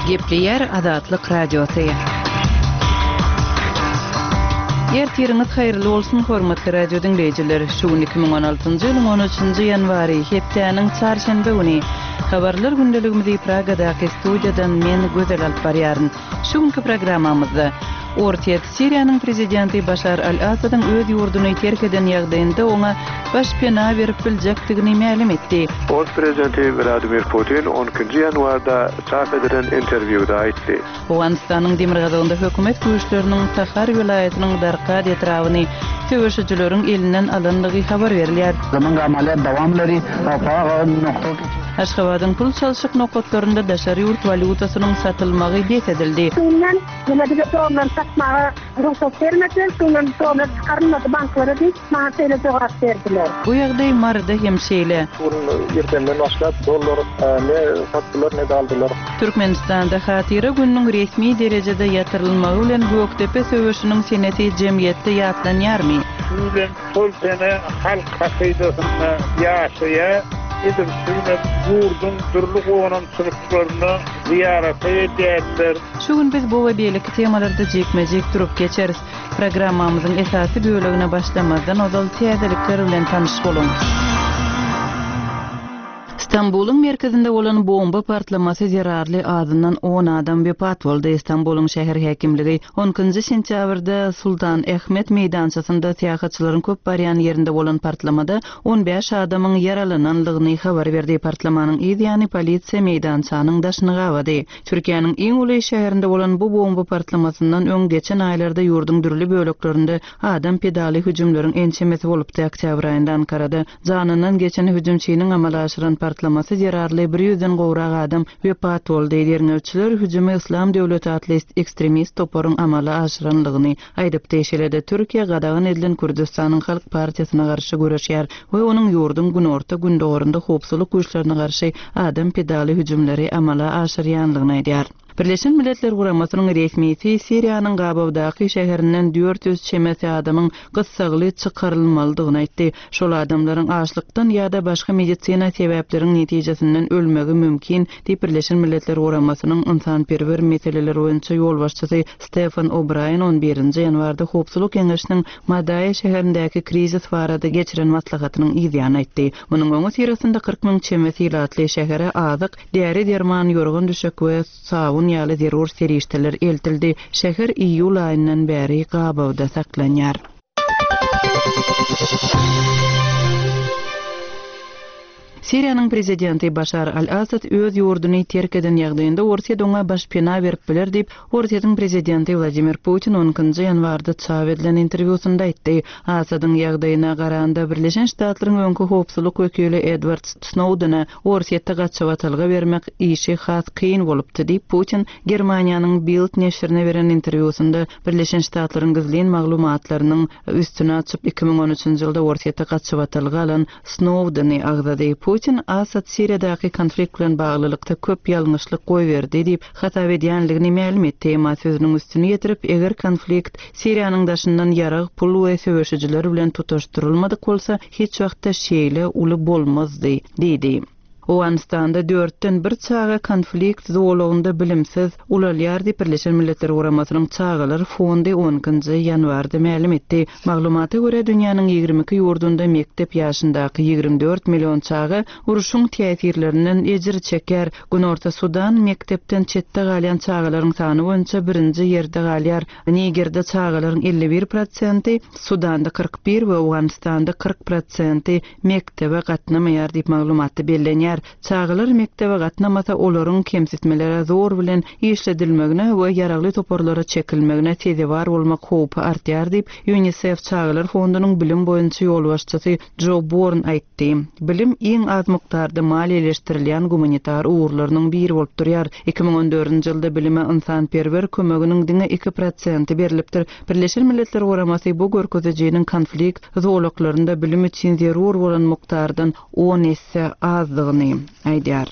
Gepleýär Azatlyk Radiosy. Ertiriňiz haýyrly bolsun, hormatly radio diňleýjiler! Şu gün 2016-njy ýylyň 13-nji ýanwary, hepdäniň çarşenbe güni. Habarlar gündeligimizi Pragadaky studiýadan men, Gözel alyp barýaryn. Şu günki programmamyzda, Orsýet Siriýanyň prezidenti Başar al-Assadyň öz ýurduny terk eden ýagdaýynda oňa baş pena berip biljekdigini mälim etdi. Ors prezidenti Wladimir Putin on ikinji ýanwarda çap edilen interwýuda aýtdy. Owganystanyň demirgazygynda hökümet güýçleriniň Tahar welaýatynyň Darkad etrabyny söweşijileriň elinden alandygy habar berilýär. Aşgabadyň pul çalşyk nokatlarynda daşary ýurt walýutasynyň satylmagy bes edildi. Şundan ýöne bize dollar satmaga rugsat bermediler, şundan dollar çykarylmady banklara diýip, maňa şeýle jogap berdiler. Bu ýagdaý Maryda hem şeýle. Şu gün irdenden başlap dollar ne satdylar, ne-de aldylar. Türkmenistanda Hatyra gününiň resmi derejede ýatyrylmagy bilen Gökdepe söweşiniň senesi jemgyýetde ýatlanýarmy? Şu bilen Şol sene halk hakydasynda ýaşaýar. Edil şu günem ýurduň dürli gonamçylyklaryna zyýarata gelýärler. Şu gün biz bu we beýleki temalarda jikme-jik durup geçeris. Programmamyzyň esasy bölegine başlamazdan ozal täzelikler bilen tanyş boluň. Stambulyň merkezinde bolan bomba partlamasy zerarly azyndan on adam wepat boldy. Stambulyň şäher häkimligi on ikinji sentýabrda Sultan Ahmet meýdançasynda syýahatçylaryň köp barýan ýerinde bolan partlamada 15 adamyň ýaralananlygyny habar berdi. Partlamanyň yz ýany polisiýa meýdançanyň daşyny gabady. Türkiýäniň iň uly şäherinde bolan bu bomba partlamasyndan öň geçen aýlarda ýurduň dürli böleklerinde adam pidaly hüjümleriň ençemesi bolupdy. Oktýabr aýynda Ankarada Janyndan geçen hüjümçiniň amala aşyran partlamasy zerarly bir ýüzden gowrak adam wepat boldy. Derňewçiler hüjümi Yslam döwleti atly ekstremist toparyň amala aşyranlygyny aýdypdy. Şeýle-de Türkiýe gadagan edilen Kürdüstanyň Halk partiýasyna garşy göreşýär we onuň ýurduň günorta-gündogarynda howpsuzlyk güýçlerine garşy adam pidaly hüjümleri amala aşyrýanlygyny aýdýar. Birleşen Milletler Guramasynyň resmisi Siriýanyň gabawdaky şäherinden 400 çemesi adamyň gyssagly çykarylmalydygyny aýtdy. Şol adamlaryň açlykdan ýa-da başga medisina sebäpleriň netijesinden ölmegi mümkin, diýip Birleşen Milletler Guramasynyň ynsanperwer meseleler boýunça ýolbaşçysy Stefan O'Braýen on birinji ýanwarda Howpsuzlyk Geňeşiniň Madaýa şäherindäki krizis barada geçiren maslahatynyň yzýany aýtdy. Munuň öňüsyrasynda 40 müň çemesi ilatly şähere azyk, Däri-derman, ýorgan-düşek we sabyn ýaly zerur serişdeler eltildi. Şäher iýul aýyndan bäri gabawda saklanýar. Siriýanyň prezidenti Başar al-Assad öz ýurduny terk eden ýagdaýynda Orsýet oňa başpena berip biler diýip, Orsýetiň prezidenti Wladimir Putin on ikinji ýanwarda çap edilen interwýusynda aýtdy. Assadyň ýagdaýyna garanda, Birleşen Ştatlaryň öňki howpsuzlyk wekili Edward Snowdene Orsýetde gaçybatalga bermek işi has kyn bolupdy diýip, Putin Germaniýanyň Bild neşirine beren interwýusynda Birleşen Ştatlaryň gizlin maglumatlarynyň üstüni açyp, 2013-nji ýylda Orsýetde gaçybatalga alan Snowdeni agzady. Putin Assad Siriýadaky konflikt bilen baglylykda köp ýalňyşlyk goýberdi diýip hasap edýänligini mälim etdi, emma sözüniň üstüni ýetirip, eger konflikt Siriýanyň daşyndan ýarag, pul we söweşijiler bilen tutaşdyrylmadyk bolsa, hiç wagtda şeýle uly bolmazdy diýdi. Owganystanda dörtden bir çaga konflikt zolagynda bilimsiz ulalýar diýip, Birleşen Milletler Guramasynyň Çagalar fondy on ikinji ýanwarda mälim etdi. Maglumata görä, dünýäniň 22 ýurdunda mekdep ýaşyndaky 24 million çaga urşuň täsirlerinden ejir çekýär. Günorta Sudan mekdepden çetde galýan çagalaryň sany boýunça birinji ýerde galýar. Nigerde çagalaryň 51 prosenti, Sudanda 41 we Owganystanda 40 prosenti mekdebe gatnamaýar diýip maglumatda bellenýär. Çagalar mekdebe gatnamasa olaryň kemsitmelere zor bilen işledilmegine we ýaragly toparlara çekilmegine sezewar bolmak howpy artýar diýip, Ýunisef çagalar fondunyň bilim boýunça ýolbaşçysy Jo Born aýtdy. Bilim iň az mukdarda maliýeleşdirilýän gumanitar ugurlarynyň biri bolup durýar. 2014-nji ýylda bilime ynsanperwer kömeginiň diňe iki prosenti berlipdir. Birleşen Milletler Guramasy bu görkezijiniň konflikt zolaklarynda bilim üçin zerur bolan mukdardan on esse azdygyny aýdýar.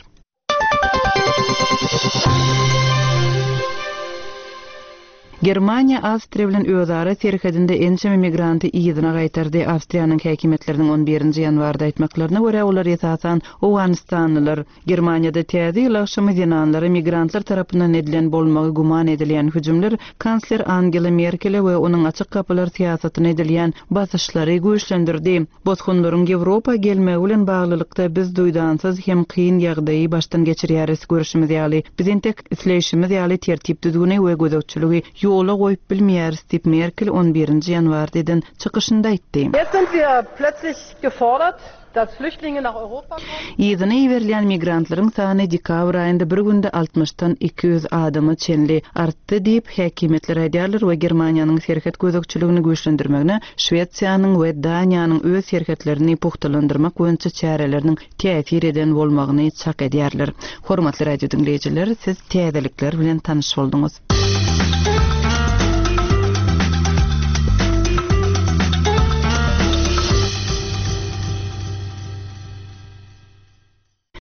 Germaniýa Awstriýa bilen özara serhedinde ençeme migranty yzyna gaýtardy. Awstriýanyň häkimiýetleriniň on birinji ýanwarda aýtmaklaryna görä, olar esasan owganystanlylar. Germaniýada Täze ýyl agşamy zenanlara migrantlar tarapyndan edilen bolmagy güman edilýän hüjümler kansler Angela Merkele we onuň açyk gapylar syýasatyna edilýän basyşlary güýçlendirdi. Bosgunlaryň Ýewropa gelmegi bilen baglylykda biz duýdansyz hem kyn ýagdaýy başdan geçirýäris. Görşümiz ýaly, biz entek isleýşimiz ýaly tertip-düzgüni we gözegçiligi ýola goýup bilmeýäris diýip, Merkel on birinji ýanwarda eden çykyşynda aýtdy. Jetzt sind wir plötzlich gefordert, dass Flüchtlinge nach Europa kommen. Yzyna iberilýän migrantlaryň sany dekabr aýynda bir günde altmyşdan 200 adama çenli artdy diýip, häkimiýetler aýdýarlar we Germaniýanyň serhet gözegçiligini güýçlendirmegine Şwesiýanyň we Daniýanyň öz serhetlerini pugtalandyrmak boýunça çäreleriniň täsir eden bolmagyny çak edýärler. Hormatly radio diňleýjiler, siz täzelikler bilen tanyş bolduňyz.